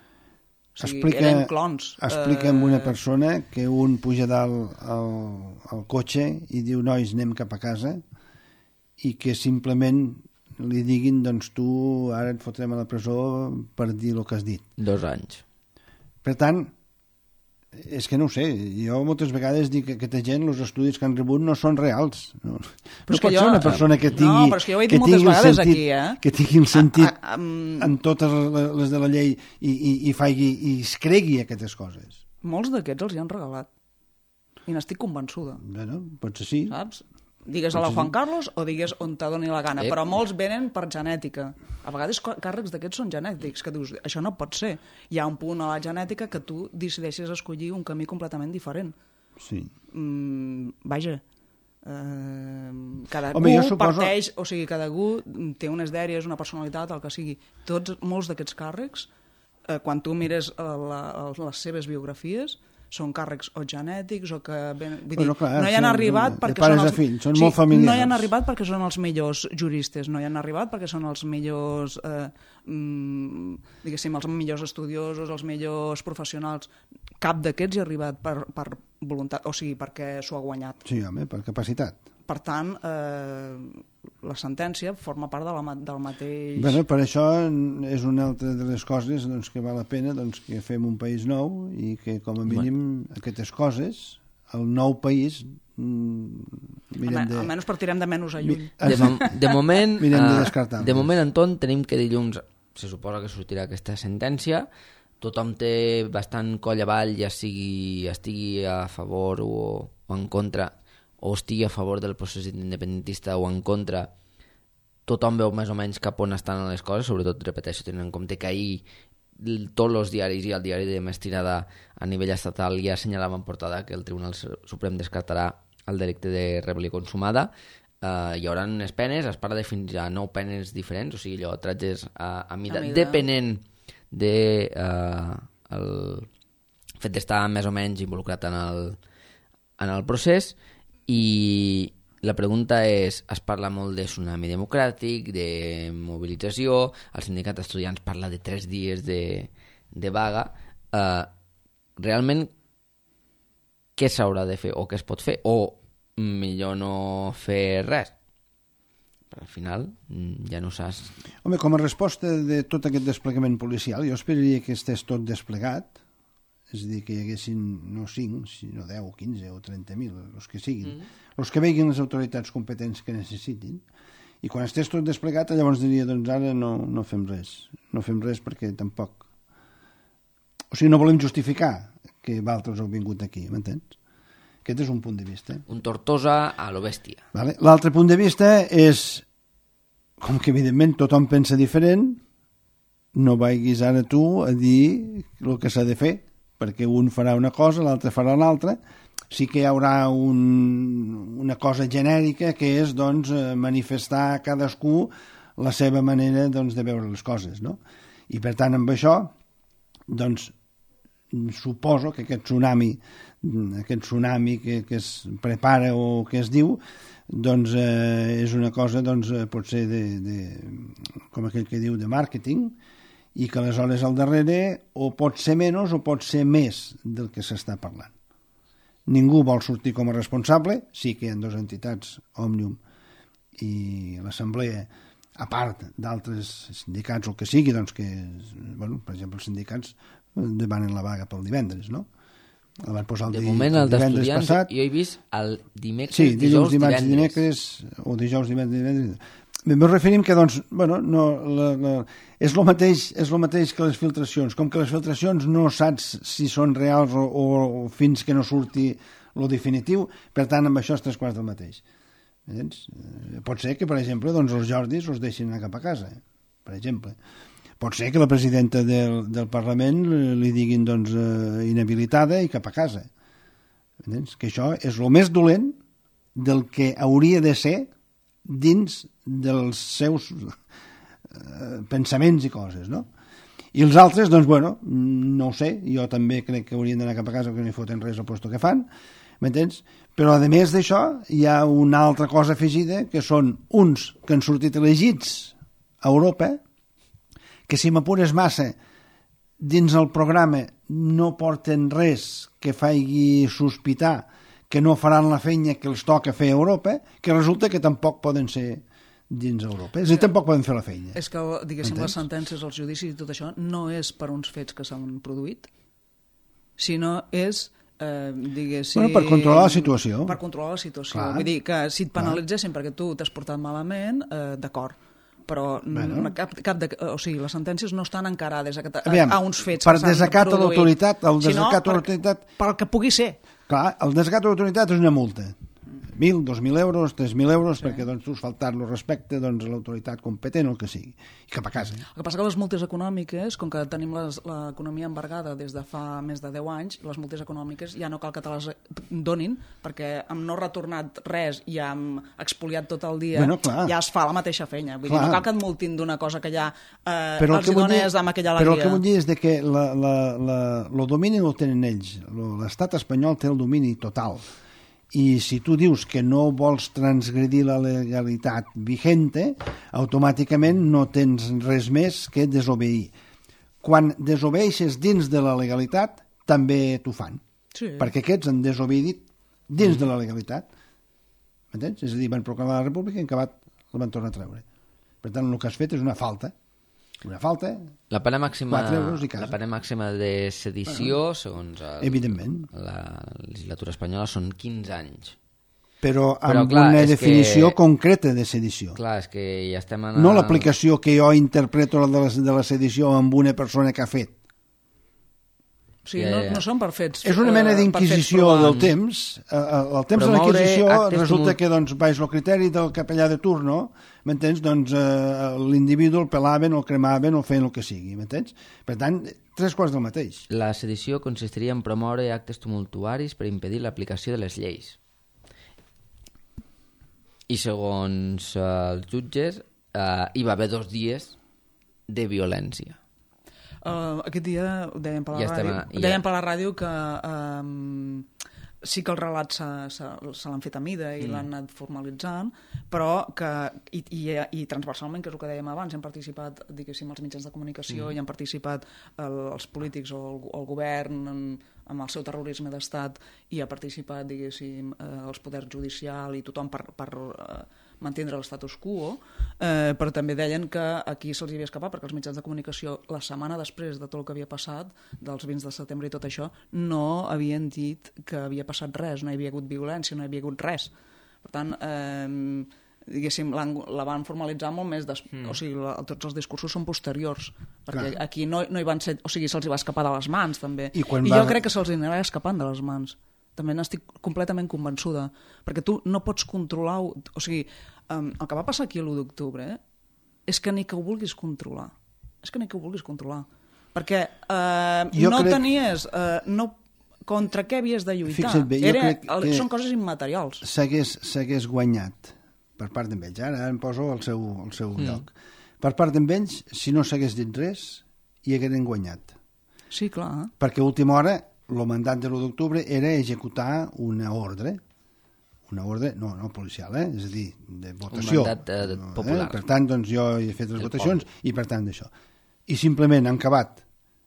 O sigui, eren clons. Explica'm una persona que un puja dalt al cotxe i diu, nois, anem cap a casa, i que simplement li diguin, doncs tu ara et fotrem a la presó per dir el que has dit. 2 anys. Per tant, és que no ho sé, jo moltes vegades dic que aquesta gent, els estudis que han rebut no són reals. No pot ser una persona que tingui... No, però és que jo ho he dit moltes vegades aquí, que tingui el sentit en totes les de la llei i es cregui aquestes coses. Molts d'aquests els hi han regalat. I n'estic convençuda. Bueno, potser sí. Saps? Digues a la Juan Carlos o digues on te doni la gana, però molts venen per genètica. A vegades càrrecs d'aquests són genètics, que dius, això no pot ser. Hi ha un punt a la genètica que tu decideixes escollir un camí completament diferent. Sí. Vaja, cada parteix, o sigui, cada té unes dèries, una personalitat, el que sigui. Molts d'aquests càrrecs, quan tu mires les seves biografies, són càrrecs o genètics o que... Vull dir, no hi han arribat perquè no hi han arribat perquè són els millors juristes, no hi han arribat perquè són els millors diguéssim, els millors estudiosos, els millors professionals. Cap d'aquests hi ha arribat per voluntat, o sigui, perquè s'ho ha guanyat. Sí, home, per capacitat. Per tant, la sentència forma part del mateix... Bé, per això és una altra de les coses que val la pena que fem un país nou i que, com a mínim, aquestes coses, el nou país... Almenys partirem de menys a lluny. De moment, de moment, Anton, tenim que dilluns se suposa que sortirà aquesta sentència. Tothom té bastant coll avall, ja estigui a favor o en contra, o estigui a favor del procés independentista o en contra. Tothom veu més o menys cap on estan les coses, sobretot, repeteixo, tenint en compte que ahir tots els diaris i el diari de més tirada a nivell estatal ja assenyalaven en portada que el Tribunal Suprem descartarà el delicte de rebel·lió consumada. Hi haurà unes penes, es parla de fins a 9 penes diferents, o sigui, allò, tratges a mida, depenent de el fet d'estar més o menys involucrat en el procés. I la pregunta és, es parla molt de tsunami democràtic, de mobilització, el sindicat d'estudiants parla de 3 dies de vaga. Realment, què s'haurà de fer o què es pot fer? O millor no fer res? Però al final ja no saps... Home, com a resposta de tot aquest desplegament policial, jo esperaria que estés tot desplegat, és a dir, que hi haguessin no 5, sinó 10, 15 o 30.000, els que siguin, els que veguin les autoritats competents que necessitin, i quan estés tot desplegat llavors diria, doncs ara no fem res, perquè tampoc... O sigui, no volem justificar que altres heu vingut aquí, m'entens? Aquest és un punt de vista. Un Tortosa a lo bèstia. Vale. L'altre punt de vista és, com que evidentment tothom pensa diferent, no vagis ara tu a dir el que s'ha de fer, perquè un farà una cosa, l'altre farà l'altra. Sí que hi haurà una cosa genèrica que és manifestar cadascú la seva manera de veure les coses, no? I per tant amb això suposo que aquest tsunami que es prepara o que es diu és una cosa potser com aquell que diu de màrqueting, i que aleshores al darrere o pot ser menys o pot ser més del que s'està parlant. Ningú vol sortir com a responsable, sí que hi ha 2 entitats, Òmnium i l'Assemblea, a part d'altres sindicats o el que sigui, que, per exemple, els sindicats demanen la vaga pel divendres, no? El van posar de moment el d'estudiants passat. Jo he vist el dimecres, sí, dijous, dimarts, dimecres, o dijous, divendres. Em referim que, és el mateix que les filtracions. Com que les filtracions no saps si són reals o fins que no surti lo definitiu, per tant, amb això estàs quasi del mateix. Pot ser que, per exemple, els Jordis els deixin anar cap a casa, per exemple. Pot ser que la presidenta del Parlament li diguin inhabilitada i cap a casa. Que això és el més dolent del que hauria de ser dins dels seus pensaments i coses, no? I els altres, no ho sé, jo també crec que haurien d'anar cap a casa perquè no hi foten res al puesto que fan, m'entens? Però a més d'això hi ha una altra cosa afegida, que són uns que han sortit elegits a Europa, que si m'apures massa dins el programa no porten res que faci sospitar que no faran la feina que els toca fer a Europa, que resulta que tampoc poden ser dins Europa. És a dir, tampoc poden fer la feina. És que, diguéssim, les sentències, els judicis i tot això no és per uns fets que s'han produït, sinó és, diguéssim... per controlar la situació. Per controlar la situació. Clar. Vull dir que si et penalitzessin perquè tu t'has portat malament, d'acord, però les sentències no estan encarades a uns fets per desacat a l'autoritat, sinó pel que pugui ser. Clar, el desacat a l'autoritat és una multa. 1.000, 2.000 euros, 3.000 euros, perquè doncs, tu has faltat-lo respecte doncs, a l'autoritat competent o el que sigui. I cap a casa. El que passa que les multes econòmiques, com que tenim l'economia embargada des de fa més de 10 anys, les multes econòmiques ja no cal que te les donin, perquè amb no retornat res i amb expoliat tot el dia, ja es fa la mateixa feina. Vull dir, no cal que et multin d'una cosa que ja els dones amb aquella alegria. Però el que vull dir és que el domini el tenen ells. L'estat espanyol té el domini total. I si tu dius que no vols transgredir la legalitat vigente, automàticament no tens res més que desobeir. Quan desobeeixes dins de la legalitat, també t'ho fan. Sí. Perquè aquests han desobeït dins de la legalitat. M'entens? És a dir, van proclamar la república i en acabat la van tornar a treure. Per tant, el que has fet és una falta. Una falta, la pena màxima, 4 euros i casa. La pena màxima de sedició, segons evidentment, la legislatura espanyola, són 15 anys. Però amb una definició concreta de sedició. Clar, és que ja estem en... No l'aplicació que jo interpreto de la sedició amb una persona que ha fet. O sigui, no són per fets. És una mena d'inquisició del temps. El temps de la inquisició resulta que doncs, baix el criteri del capellà de turno, m'entens? Doncs l'individu el pelaven, el cremaven o feien el que sigui, m'entens? Per tant, 3 quarts del mateix. La sedició consistiria en promoure actes tumultuaris per impedir l'aplicació de les lleis. I segons els jutges, hi va haver 2 dies de violència. Aquest dia dèiem per la ràdio que sí que el relat se l'han fet a mida i l'han anat formalitzant, però que i transversalment, que és el que dèiem abans, han participat, diguéssim, els mitjans de comunicació i han participat els polítics o el govern amb el seu terrorisme d'estat i ha participat, diguéssim, els poders judicial i tothom per mantindre l'estatus quo, però també deien que aquí se'ls havia escapat perquè els mitjans de comunicació la setmana després de tot el que havia passat, dels 20 de setembre i tot això, no havien dit que havia passat res, no hi havia hagut violència, no hi havia hagut res. Per tant, diguéssim, la van formalitzar molt més o sigui, tots els discursos són posteriors, perquè aquí no hi van ser, o sigui, se'ls va escapar de les mans també, i jo crec que se'ls anava escapant de les mans. També n'estic completament convençuda, perquè tu no pots controlar... O sigui, el que va passar aquí l'1 d'octubre és que ni que ho vulguis controlar. Perquè tenies... contra què havies de lluitar? Fixa't bé, són coses immaterials. S'hagués guanyat per part d'ells. Ara em poso al seu lloc. Per part d'ells, si no s'hagués dit res, hi hagueren guanyat. Sí, clar. Perquè a última hora el mandat de l'1 d'octubre era executar una ordre no policial, és a dir, de votació. Un mandat popular. Per tant, doncs, jo he fet les votacions i per tant d'això. I simplement han acabat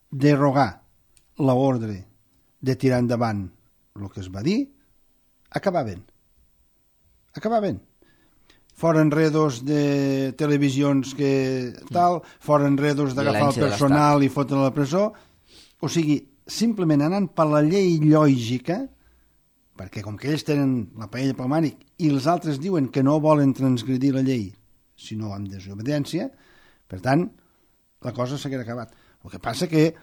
derogar l'ordre de tirar endavant el que es va dir, acabaven. Fora enredos de televisions que tal, fora enredos d'agafar el personal i fotre a la presó, o sigui, simplement anant per la llei lògica, perquè com que ells tenen la paella pel mànic i els altres diuen que no volen transgredir la llei, sinó amb desobediència, per tant, la cosa s'hagués acabat. El que passa que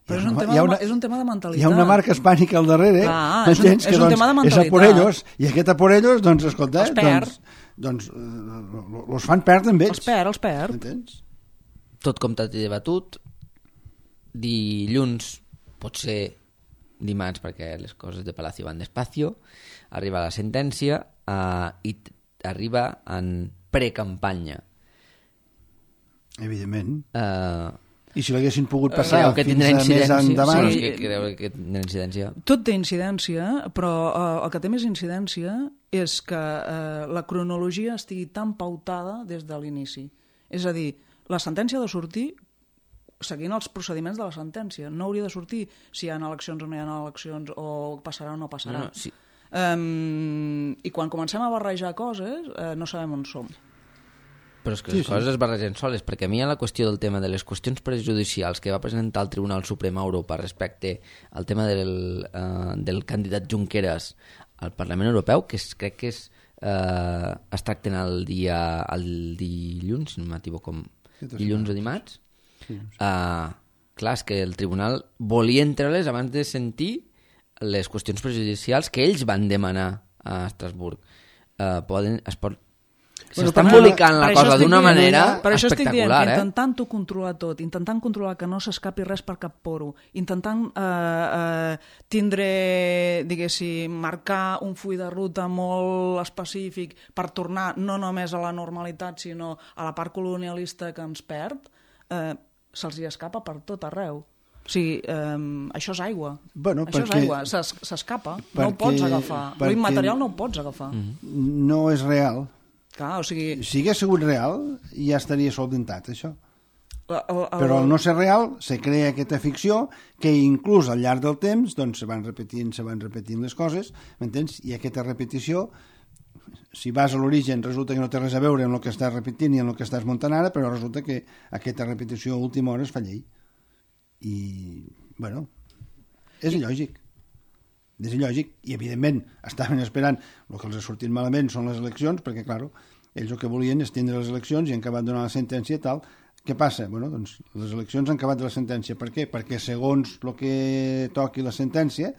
però és un tema de mentalitat. Hi ha una marca hispànica al darrere, és un tema de mentalitat. És a por ellos, i aquest a por ellos, doncs, escolta, els perd. Doncs els fan perdre amb ells. Els perd. Entens? Tot comptat i debatut, dilluns, potser dimarts, perquè les coses de Palacio van despacio, arriba la sentència i arriba en precampanya. Evidentment. I si l'haguessin pogut passar fins a més endavant... Sí, creu que tindrà incidència? Tot té incidència, però el que té més incidència és que la cronologia estigui tan pautada des de l'inici. És a dir, la sentència ha de sortir seguint els procediments de la sentència. No hauria de sortir si hi ha eleccions o no hi ha eleccions, o passarà o no passarà. No, sí. I quan comencem a barrejar coses, no sabem on som. Però és que les coses es barregen soles, perquè a mi hi ha la qüestió del tema de les qüestions prejudicials que va presentar el Tribunal Suprem a Europa respecte al tema del candidat Junqueras al Parlament Europeu, que crec que es tracten el dilluns, si no m'equivoco, dilluns o dimarts. Clar, és que el tribunal volia entrar-les abans de sentir les qüestions prejudicials que ells van demanar a Estrasburg. S'està embolicant la cosa d'una manera espectacular. Per això estic dient que intentant-ho controlar tot, intentant controlar que no s'escapi res per cap poro, intentant tindre, diguéssim, marcar un full de ruta molt específic per tornar no només a la normalitat, sinó a la part colonialista que ens perd, se'ls hi escapa per tot arreu. O sigui, això és aigua. Això és aigua, s'escapa, no ho pots agafar. L'immaterial no ho pots agafar. No és real. Clar, o sigui... Si hagués sigut real, ja estaria solventat, això. Però al no ser real, se crea aquesta ficció que inclús al llarg del temps doncs, se van repetint les coses, m'entens? I aquesta repetició, si vas a l'origen, resulta que no té res a veure amb el que estàs repetint i amb el que estàs muntant ara, però resulta que aquesta repetició a última hora es fa llei. I, bueno, és il·lògic. És il·lògic, i evidentment estaven esperant el que els ha sortit malament són les eleccions, perquè clar, ells el que volien és tindre les eleccions i han acabat donant la sentència i tal. Què passa? Bueno, doncs les eleccions han acabat de la sentència. Per què? Perquè segons el que toqui la sentència,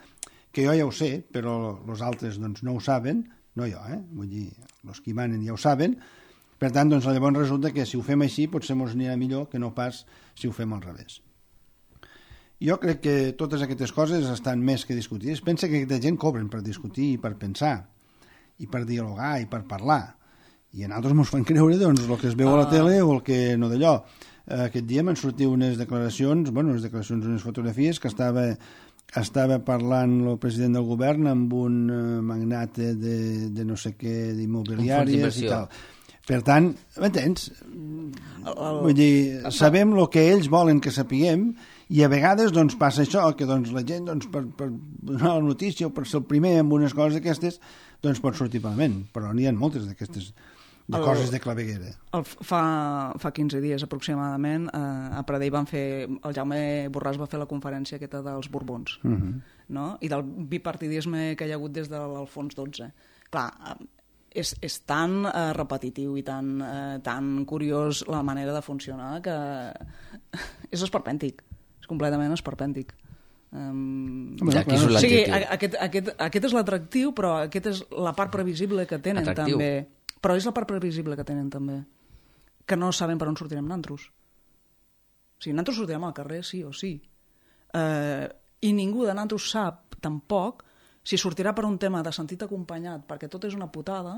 que jo ja ho sé, però els altres doncs, no ho saben, no jo, vull dir, els que hi manen ja ho saben, per tant, doncs llavors resulta que si ho fem així potser ens anirà millor que no pas si ho fem al revés. Jo crec que totes aquestes coses estan més que discutides. Pensa que aquesta gent cobren per discutir i per pensar, i per dialogar i per parlar. I a nosaltres ens fan creure doncs, el que es veu a la tele o el que no d'allò. Aquest dia m'han sortit unes declaracions, unes fotografies que estava parlant el president del govern amb un magnate de no sé què, d'immobiliàries i tal. Per tant, m'entens? Vull dir, sabem el que ells volen que sapiguem i a vegades doncs, passa això, que doncs, la gent doncs, per donar la notícia o per ser el primer amb unes coses d'aquestes doncs, pot sortir malament, però n'hi ha moltes d'aquestes coses de claveguera. Fa 15 dies aproximadament a Pradell el Jaume Borràs va fer la conferència aquesta dels Borbons, no? I del bipartidisme que hi ha hagut des de l'Alfons XII. Clar, és tan repetitiu i tan curiós la manera de funcionar que és esperpèntic, és completament esperpèntic. Aquí és l'adjectiu. Aquest és l'atractiu, però aquesta és la part previsible que tenen també. Però és la part previsible que tenen també, que no saben per on sortirem nosaltres. O sigui, nosaltres sortirem al carrer sí o sí. I ningú de nosaltres sap tampoc si sortirà per un tema de sentit acompanyat perquè tot és una putada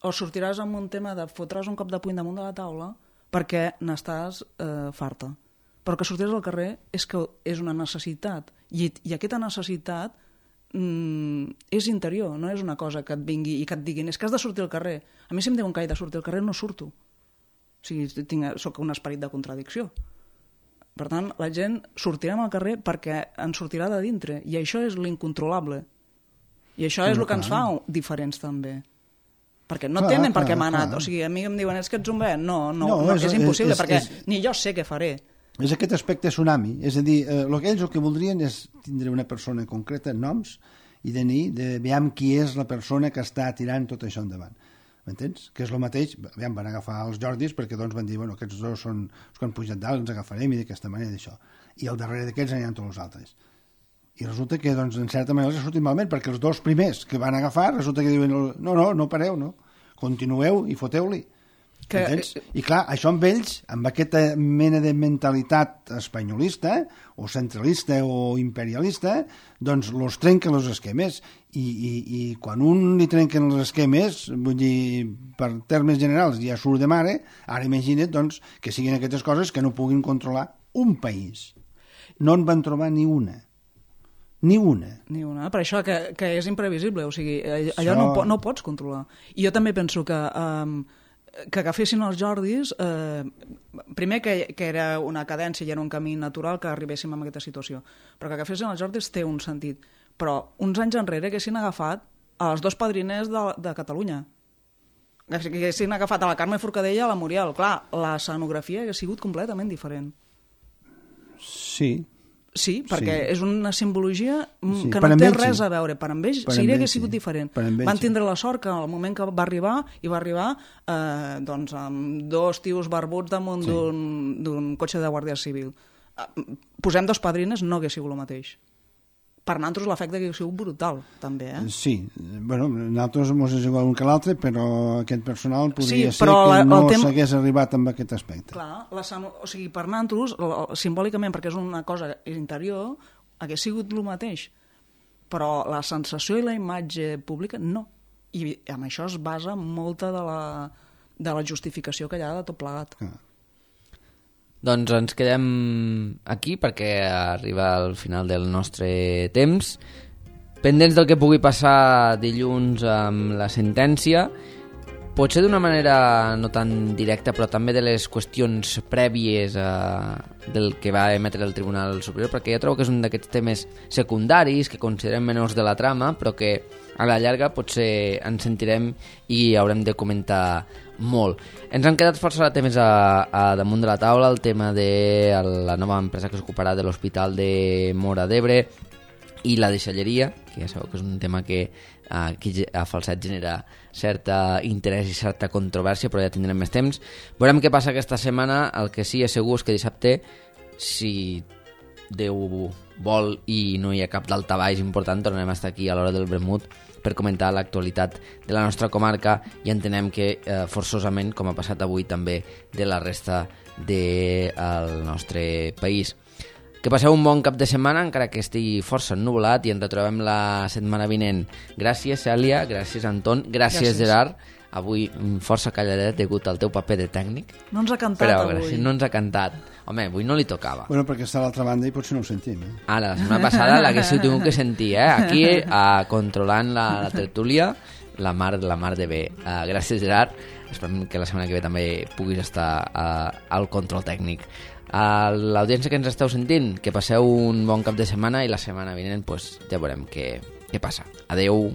o sortiràs amb un tema de fotràs un cop de puny damunt de la taula perquè n'estàs farta. Però que sortiràs al carrer és que és una necessitat i aquesta necessitat és interior, no és una cosa que et vingui i que et diguin és que has de sortir al carrer. A mi si em diuen que he de sortir al carrer no surto. O sigui, soc un esperit de contradicció. Per tant, la gent sortirem al carrer perquè ens sortirà de dintre i això és l'incontrolable. I això és el que ens fa diferents també. Perquè no tenen per què m'ha anat. O sigui, a mi em diuen és que ets un bé. No, és impossible perquè ni jo sé què faré. És aquest aspecte tsunami, és a dir, ells el que voldrien és tindre una persona concreta, noms, i de veure qui és la persona que està tirant tot això endavant. M'entens? Que és el mateix, van agafar els Jordis perquè doncs van dir, bueno, aquests dos són els que han pujat dalt, ens agafarem i d'aquesta manera d'això. I al darrere d'aquests aniran tots els altres. I resulta que, doncs, en certa manera els ha sortit malament, perquè els dos primers que van agafar resulta que diuen, no pareu, no? Continueu i foteu-li. I clar, això amb ells, amb aquesta mena de mentalitat espanyolista o centralista o imperialista, doncs los trenquen els esquemes i quan un li trenquen els esquemes, vull dir, per termes generals ja surt de mare, ara imagina't doncs, que siguin aquestes coses que no puguin controlar un país. No en van trobar ni una. Ni una. Per això que és imprevisible, o sigui, allò no ho pots controlar. I jo també penso que agafessin els Jordis, primer que era una cadència i era un camí natural que arribéssim a aquesta situació, però que agafessin els Jordis té un sentit. Però uns anys enrere haguessin agafat els dos padriners de Catalunya, haguessin agafat a la Carme Forcadell i a la Muriel. Clar, l'escenografia hagués sigut completament diferent. Sí, perquè és una simbologia que no té res a veure. Per amb ells sí que ha sigut diferent. Van tindre la sort que al moment que va arribar doncs, amb dos tios barbuts damunt d'un cotxe de Guàrdia Civil. Posem dos padrines, no hagués sigut el mateix. per nosaltres l'efecte que ha sigut brutal, també, Sí, bueno, nosaltres ens és igual un que l'altre, però aquest personal podria ser però que no tema... s'hagués arribat amb aquest aspecte. Clar, o sigui, per nosaltres, simbòlicament, perquè és una cosa interior, hagués sigut el mateix, però la sensació i la imatge pública no. I amb això es basa molta de la justificació que hi ha de tot plegat. Doncs ens quedem aquí perquè arriba al final del nostre temps. Pendents del que pugui passar dilluns amb la sentència, potser d'una manera no tan directa, però també de les qüestions prèvies del que va emetre el Tribunal Superior, perquè jo trobo que és un d'aquests temes secundaris que considerem menors de la trama, però que a la llarga potser ens sentirem i haurem de comentar molt. Ens han quedat força temes a damunt de la taula, el tema de la nova empresa que s'ocuparà de l'Hospital de Móra d'Ebre i la deixalleria, que ja sabeu que és un tema que aquí a Falset genera certa interès i certa controvèrsia, però ja tindrem més temps. Veurem què passa aquesta setmana. El que sí és segur és que dissabte, si Déu vol i no hi ha cap daltabaix important, tornarem a estar aquí a l'hora del vermut per comentar l'actualitat de la nostra comarca i entenem que forçosament, com ha passat avui també, de la resta del nostre país. Que passeu un bon cap de setmana, encara que estigui força ennuvolat, i ens retrobem la setmana vinent. Gràcies, Cèlia, gràcies, Anton, gràcies. Gerard. Avui força calladet degut al teu paper de tècnic. No ens ha cantat avui. Gràcies, no ens ha cantat. Home, avui no li tocava. Bueno, perquè està a l'altra banda i potser no ho sentim. Ara, la setmana passada l'haguéssiu tingut que sentir, aquí, controlant la tertúlia, la mar de bé. Gràcies, Gerard. Esperem que la setmana que ve també puguis estar al control tècnic. A l'audiència que ens esteu sentint, que passeu un bon cap de setmana i la setmana vinent ja veurem què passa. Adeu.